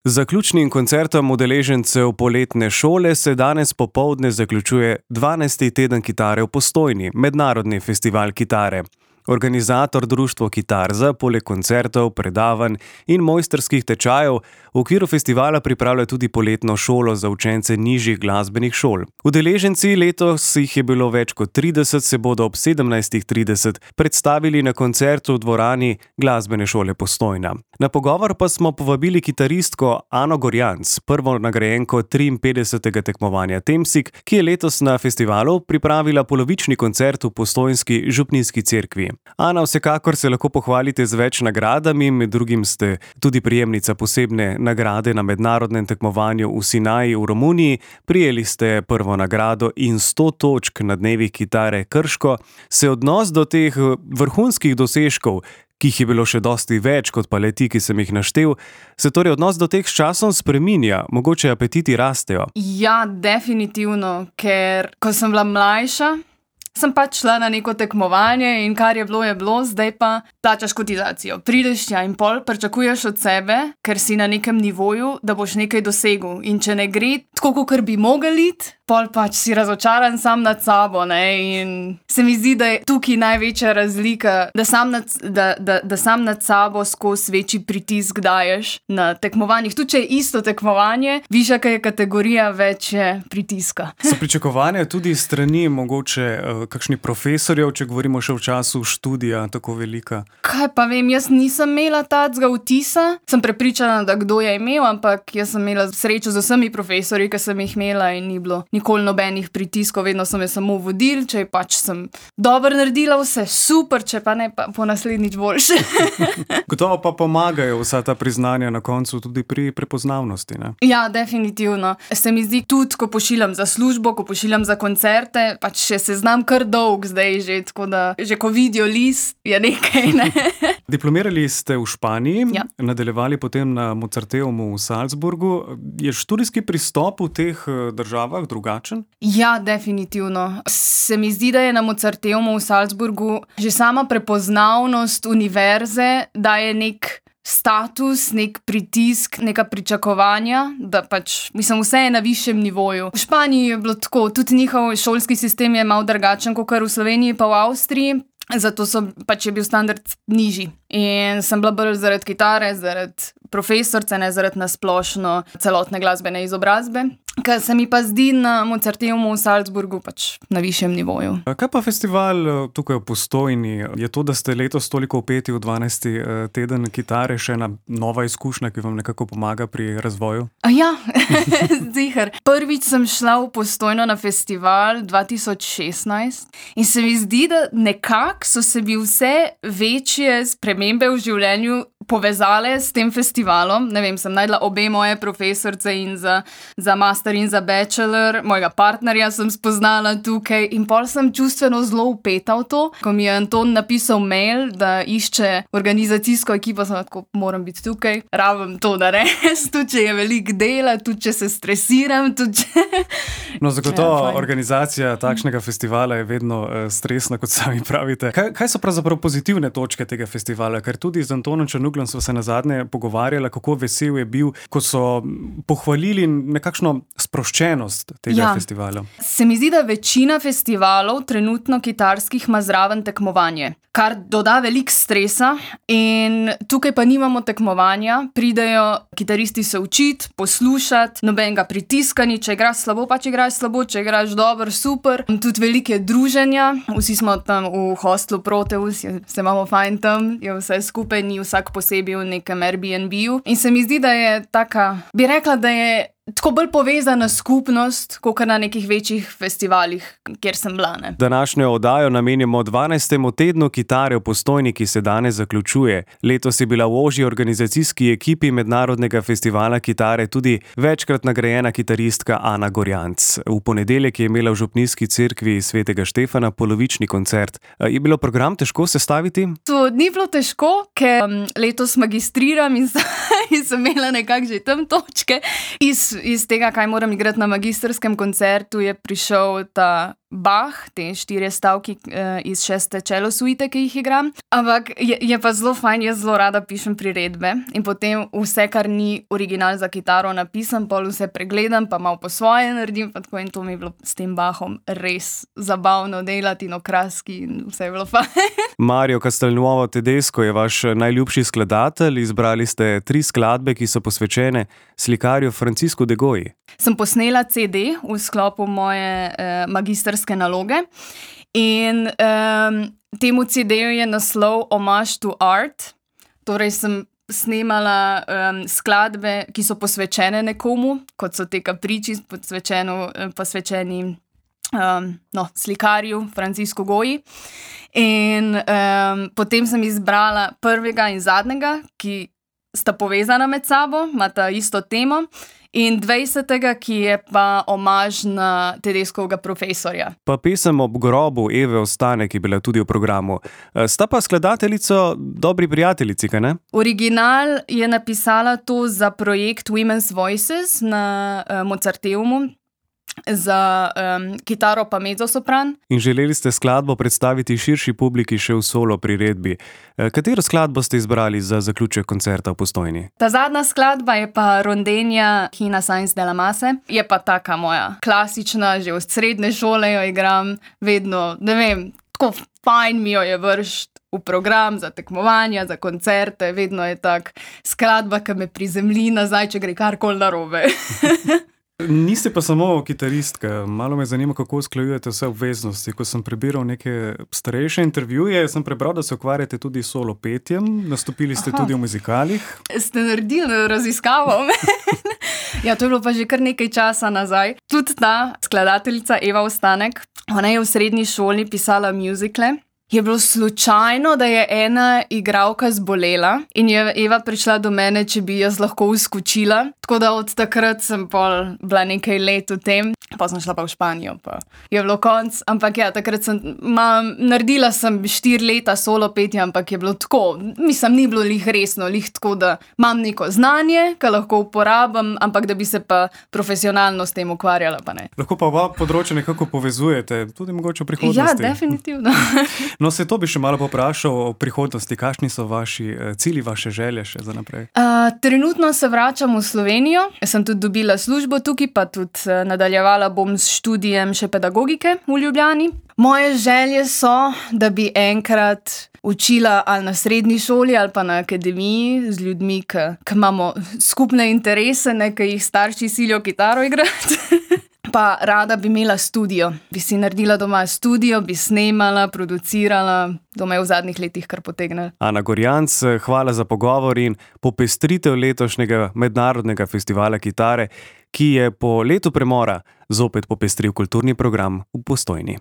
Z zaključnim koncertom udeležencev poletne šole se danes popoldne zaključuje 12. teden kitare v Postojni, mednarodni festival kitare. Organizator društvo Kitarza poleg koncertov, predavanj in mojstrskih tečajev v okviru festivala pripravlja tudi poletno šolo za učence nižjih glasbenih šol. Udeleženci, letos jih je bilo več kot 30, se bodo ob 17:30 predstavili na koncertu v dvorani Glasbene šole Postojna. Na pogovor pa smo povabili kitaristko Ano Gorjanc, prvo nagrajenko 53. tekmovanja Temsig, ki je letos na festivalu pripravila polovični koncert v postojnski župnijski cerkvi. Ana, vsekakor se lahko pohvalite z več nagradami, med drugim ste tudi prejemnica posebne nagrade na mednarodnem tekmovanju v Sinaji v Romuniji, prijeli ste prvo nagrado in 100 točk na dnevih kitare Krško. Se odnos do teh vrhunskih dosežkov, ki jih je bilo še dosti več kot pa le ti, ki sem jih naštel, se torej odnos do teh s časom spreminja, mogoče apetiti rastejo? Ja, definitivno, ker ko sem bila mlajša, sem pač šla na neko tekmovanje in kar je bilo, zdaj pa plačaš kotizacijo. Prideš tja in pol pričakuješ od sebe, ker si na nekem nivoju, da boš nekaj dosegel. In če ne gre tako, kot bi mogel iti, pol pač si razočaran sam nad sabo, ne? In se mi zdi, da je tukaj največja razlika, da sam nad sabo skozi večji pritisk daješ na tekmovanjih. Tudi če je isto tekmovanje, višja je kategorija, več je pritiska. So pričakovanja tudi strani mogoče kakšnih profesorjev, če govorimo še v času študija, tako velika? Kaj pa vem, jaz nisem imela tacga vtisa, sem prepričana, da kdo je imel, ampak jaz sem imela srečo z vsemi profesorji, ki sem jih imela in ni bilo nikoli nobenih pritiskov, vedno so me samo vodili, če pač sem dobro naredila vse, super, če pa ne, pa po naslednjič boljše. Gotovo pa pomagajo vsa ta priznanja na koncu tudi pri prepoznavnosti, ne? Ja, definitivno. Se mi zdi tudi, ko pošiljam za službo, ko pošiljam za koncerte, pač še se znam kar dolg zdaj že, tako da že ko vidijo list, je nekaj, ne? Diplomirali ste v Španiji, ja. Nadaljevali potem na Mozarteumu v Salzburgu. Je študijski pristop v teh državah drugačen? Ja, definitivno. Se mi zdi, da je na Mozarteumu v Salzburgu že sama prepoznavnost univerze, da je nek status, nek pritisk, neka pričakovanja, da pač, mislim, vse je na višjem nivoju. V Španiji je bilo tako, tudi njihov šolski sistem je malo drugačen, kot v Sloveniji pa v Avstriji, zato pač je bil standard nižji. In sem bila bolj zaradi kitare, zaradi profesorce, ne zaradi nasplošno celotne glasbene izobrazbe, kar se mi pa zdi na Mozarteumu v Salzburgu pač na višjem nivoju. Kaj pa festival tukaj v Postojni? Je to, da ste letos toliko vpeti v 12. teden kitare, še ena nova izkušnja, ki vam nekako pomaga pri razvoju? Ja, ziher. Prvič sem šla v Postojno na festival 2016 in se mi zdi, da nekako so se mi vse večje spremembe v življenju povezale s tem festivalom. Ne vem, sem najdla obe moje profesorce in za master in za bachelor, mojega partnerja sem spoznala tukaj in pol sem čustveno zelo vpeta v to. Ko mi je Anton napisal mail, da išče organizacijsko ekipo, sem tako, moram biti tukaj, rabim to narediti, tudi če je veliko dela, tudi če se stresiram, tudi če... No, zagotovo organizacija takšnega festivala je vedno stresna, kot sami pravite. Kaj so pravzaprav pozitivne točke tega festivala? Ker tudi z Antonom Črnuglom sva se nazadnje pogovarjala, kako vesel je bil, ko so pohvalili nekakšno sproščenost tega festivala. Se mi zdi, da večina festivalov trenutno kitarskih ima zraven tekmovanje, kar doda veliko stresa in tukaj pa nimamo tekmovanja, pridejo kitaristi se učiti, poslušati, nobenega pritiskanja, če igraš slabo, pač igraš slabo, če igraš dobro, super. Tudi velike druženja, vsi smo tam v hostlu Proteus, se imamo fajn tam, je vse skupaj, ni vsak posebej v nekem Airbnb-ju. In se mi zdi, da je taka, bi rekla, da je tako bolj povezana skupnost, kot na nekih večjih festivalih, kjer sem bila, ne. Današnjo oddajo namenjamo 12. tednu kitare v Postojni, ki se danes zaključuje. Letos je bila v ožji organizacijski ekipi mednarodnega festivala kitare tudi večkrat nagrajena kitaristka Ana Gorjanc. V ponedeljek je imela v župnijski cerkvi Svetega Štefana polovični koncert. Je bilo program težko sestaviti? To ni bilo težko, ker letos magistriram in sem imela nekako že tam točke. Iz tega, kaj moram igrati na magistrskem koncertu, je prišel ta Bach, te 4 stavki iz 6. cello suite, ki jih igram. Ampak je pa zelo fajn, jaz zelo rada pišem priredbe in potem vse, kar ni original za kitaro napisam, pol vse pregledam, pa malo po svoje naredim, pa tako in to mi je bilo s tem Bachom res zabavno delati in okraski in vse je bilo fajn. Mario Castelnuovo Tedesco je vaš najljubši skladatelj, izbrali ste 3 skladbe, ki so posvečene slikarju Franciscu de Goyi. Sem posnela CD v sklopu moje magistrske naloge in temu CD-ju je naslov Homage to Art. Torej sem snemala skladbe, ki so posvečene nekomu, kot so te Capricci, posvečeni slikarju Franciscu Goyi. In potem sem izbrala prvega in zadnjega, ki sta povezana med sabo, imata isto temo, in 20. ki je pa omaž na Tedescovega profesorja. Pa pesem Ob grobu Eve Ostane, ki je bila tudi v programu. Sta pa skladateljico dobri prijateljici, kaj ne? Original je napisala to za projekt Women's Voices na Mozarteumu, za kitaro pa mezzosopran. In želeli ste skladbo predstaviti širši publiki še v solo priredbi. Katero skladbo ste izbrali za zaključek koncerta v Postojni? Ta zadnja skladba je pa Rondenja Hina Sainz de la Masse. Je pa taka moja klasična, že od srednje šole jo igram, vedno, ne vem, tako fajn mi jo je vršt v program za tekmovanja, za koncerte, vedno je tak skladba, ki me prizemlji nazaj, če gre karkoli narobe. Niste pa samo kitaristka, malo me zanima, kako usklajujete vse obveznosti. Ko sem prebiral neke starejše intervjuje, sem prebral, da se ukvarjate tudi s solo petjem, nastopili ste tudi v muzikalih. Ste naredili raziskavo? Ja, to je bilo pa že kar nekaj časa nazaj. Tudi ta skladateljica Eva Ostanek, ona je v srednji šoli pisala muzikle. Je bilo slučajno, da je ena igralka zbolela in je Eva prišla do mene, če bi jaz lahko uskočila. Tako da od takrat sem pol bila nekaj let v tem. Pa sem šla pa v Španijo, pa je bilo konc. Ampak ja, takrat naredila sem 4 leta solo petja, ampak je bilo tako. Mislim, ni bilo lih resno, lih tako, da imam neko znanje, ki lahko uporabim, ampak da bi se pa profesionalno s tem ukvarjala, pa ne. Lahko pa oba področja nekako povezujete, tudi mogoče v prihodnosti. Ja, definitivno. No, se to bi še malo poprašal o prihodnosti. Kakšni so vaši cilji, vaše želje še za naprej? Trenutno se vračam v Slovenijo. Sem tudi dobila službo tukaj, pa tudi nadaljevala bom s študijem še pedagogike v Ljubljani. Moje želje so, da bi enkrat učila ali na srednji šoli ali pa na akademiji z ljudmi, ki imamo skupne interese, ki jih starši silijo kitaro igrati. Pa rada bi imela studio. Bi si naredila doma studio, bi snemala, producirala. Doma je v zadnjih letih kar potegnila. Ana Gorjanc, hvala za pogovor in popestritev letošnjega mednarodnega festivala kitare, ki je po letu premora zopet popestril kulturni program v Postojni.